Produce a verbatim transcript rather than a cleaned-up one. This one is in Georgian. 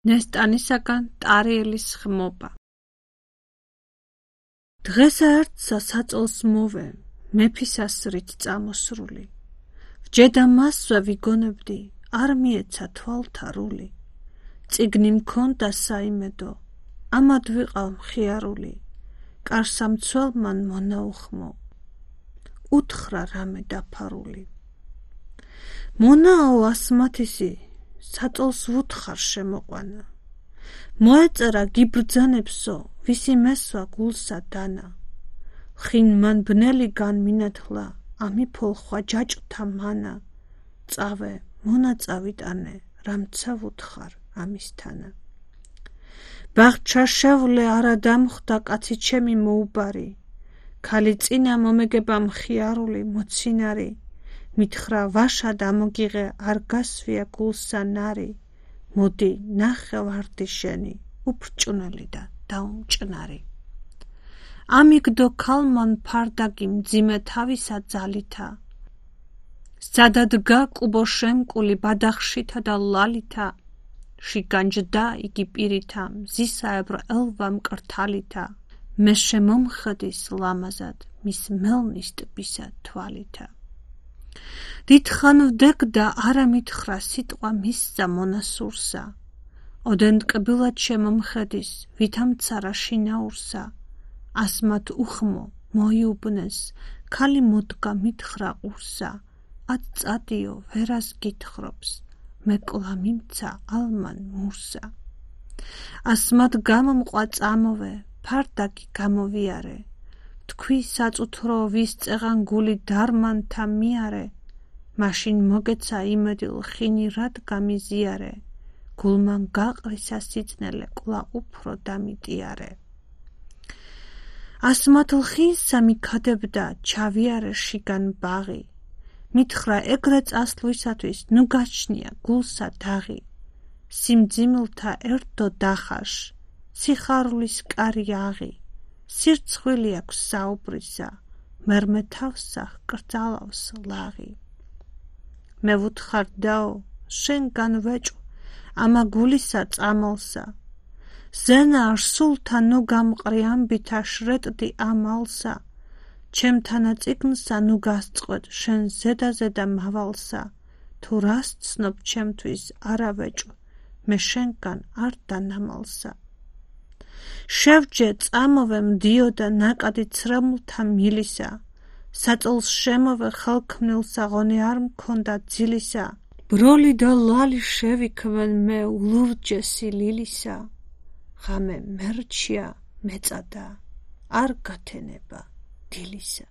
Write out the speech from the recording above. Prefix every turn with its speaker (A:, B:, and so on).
A: ნესტანისაგან ტარიელის ხმობა. დღესა ერთსა საწოლს მოვე, მეფისას რით წამოსრული. ვჯედა მასვე ვიგონებდი, არ მიეცა თვალთა რული. წიგნი მქონდა საიმედო, ამად ვიყავ მხიარული. კარსამცველმან მონაუხმო, უთხრა რამე დაფარული. მონაო ასმათისი, საწოლს ვუთხარ შემოყვანა. მოეწერა გიბრძანებსო, ვისი მესვა გულსა დანა. ხინ მან ბნელი განმინათლა, ამიფოლხვა ჯაჭვთა მანა. წავე, მონა წავიტანე, რამცა ვუთხარ ამისთანა. ბაღჩაშევლე არა დამხვდა კაცი ჩემი მოუბარი. ქალი წინა მომეგება მხიარული მოცინარი. მითხრა ვაშა დამოგიღე არ გასვია გულსა ნარი. მოდი ნახე ვარდი შენი, უფრჭუნელი და დაუმჭნარი. ამიგდო ქალმან ფარდაგი მძიმე თავისა ძალითა. სადადგა კუბო შემკული ბადახშითა და ლალითა. შიგანჯდა იგი პირითა, მზისაებრ ელვა მკრთალითა. მე შემომხედის ლამაზად, მის მელნის ტბისა თვალითა. დიდხან ვდეგდა არა მითხრა სიტყვა მისსა მონასურსა. ოდენ ტკბილად შემომხედის, ვითამცარა შინაურსა. ასმათ უხმო მოიუბნეს, ქალი მოდგა მითხრა ყურსა. ად წადიო ვერას გითხრობს, მე კლა მიმცა ალმან მურსა. ასმათ გამომყვა წამოვე, ფარდაგი გამოვიარე. თქვი საწუთრო ვის წეღან გული დარმანთა მიარე. მაშინ მოგეცა იმედილ ხინი რად გამიზიარე. გულმან გაყრისა სიწნელე კლა უფრო დამიტიარე. ასმათ ლხინსა მიქადებდა ჩავიარე შიგან ბაღი. მითხრა ეგრე წასვლისათვის ნუ გაჩნია გულსა დაღი. სიმძიმილთა ერთო დახაშ, სიხარულის კარი აღი. სირცხვილი აქვს საუბრისა, მერმე თავსა ჰკრძალავს ლაღი. მე ვუთხარ დაო, შენგან ვეჭვ, ამა გულისა წამალსა. ზენა არ სულთა ნუ გამყრი ამბითა შრეტდი ამალსა. ჩემთანა წიგნსა ნუ გასწყვეტ შენ ზედა ზედა მავალსა. თუ რას ცნობ ჩემთვის არა ვეჭვ, მე შენგან არ დანამალსა. შევჯე წამოვე მდიოდა ნაკადი ცრემლთა მილისა. საწოლს შემოვე ხელქმნილსა ღონე არ მქონდა ძილისა. ბროლი და ლალი შევიქმენ მე ულურჯესი ლილისა. ღამე მერჩია მეწადა, არ გათენება დილისა.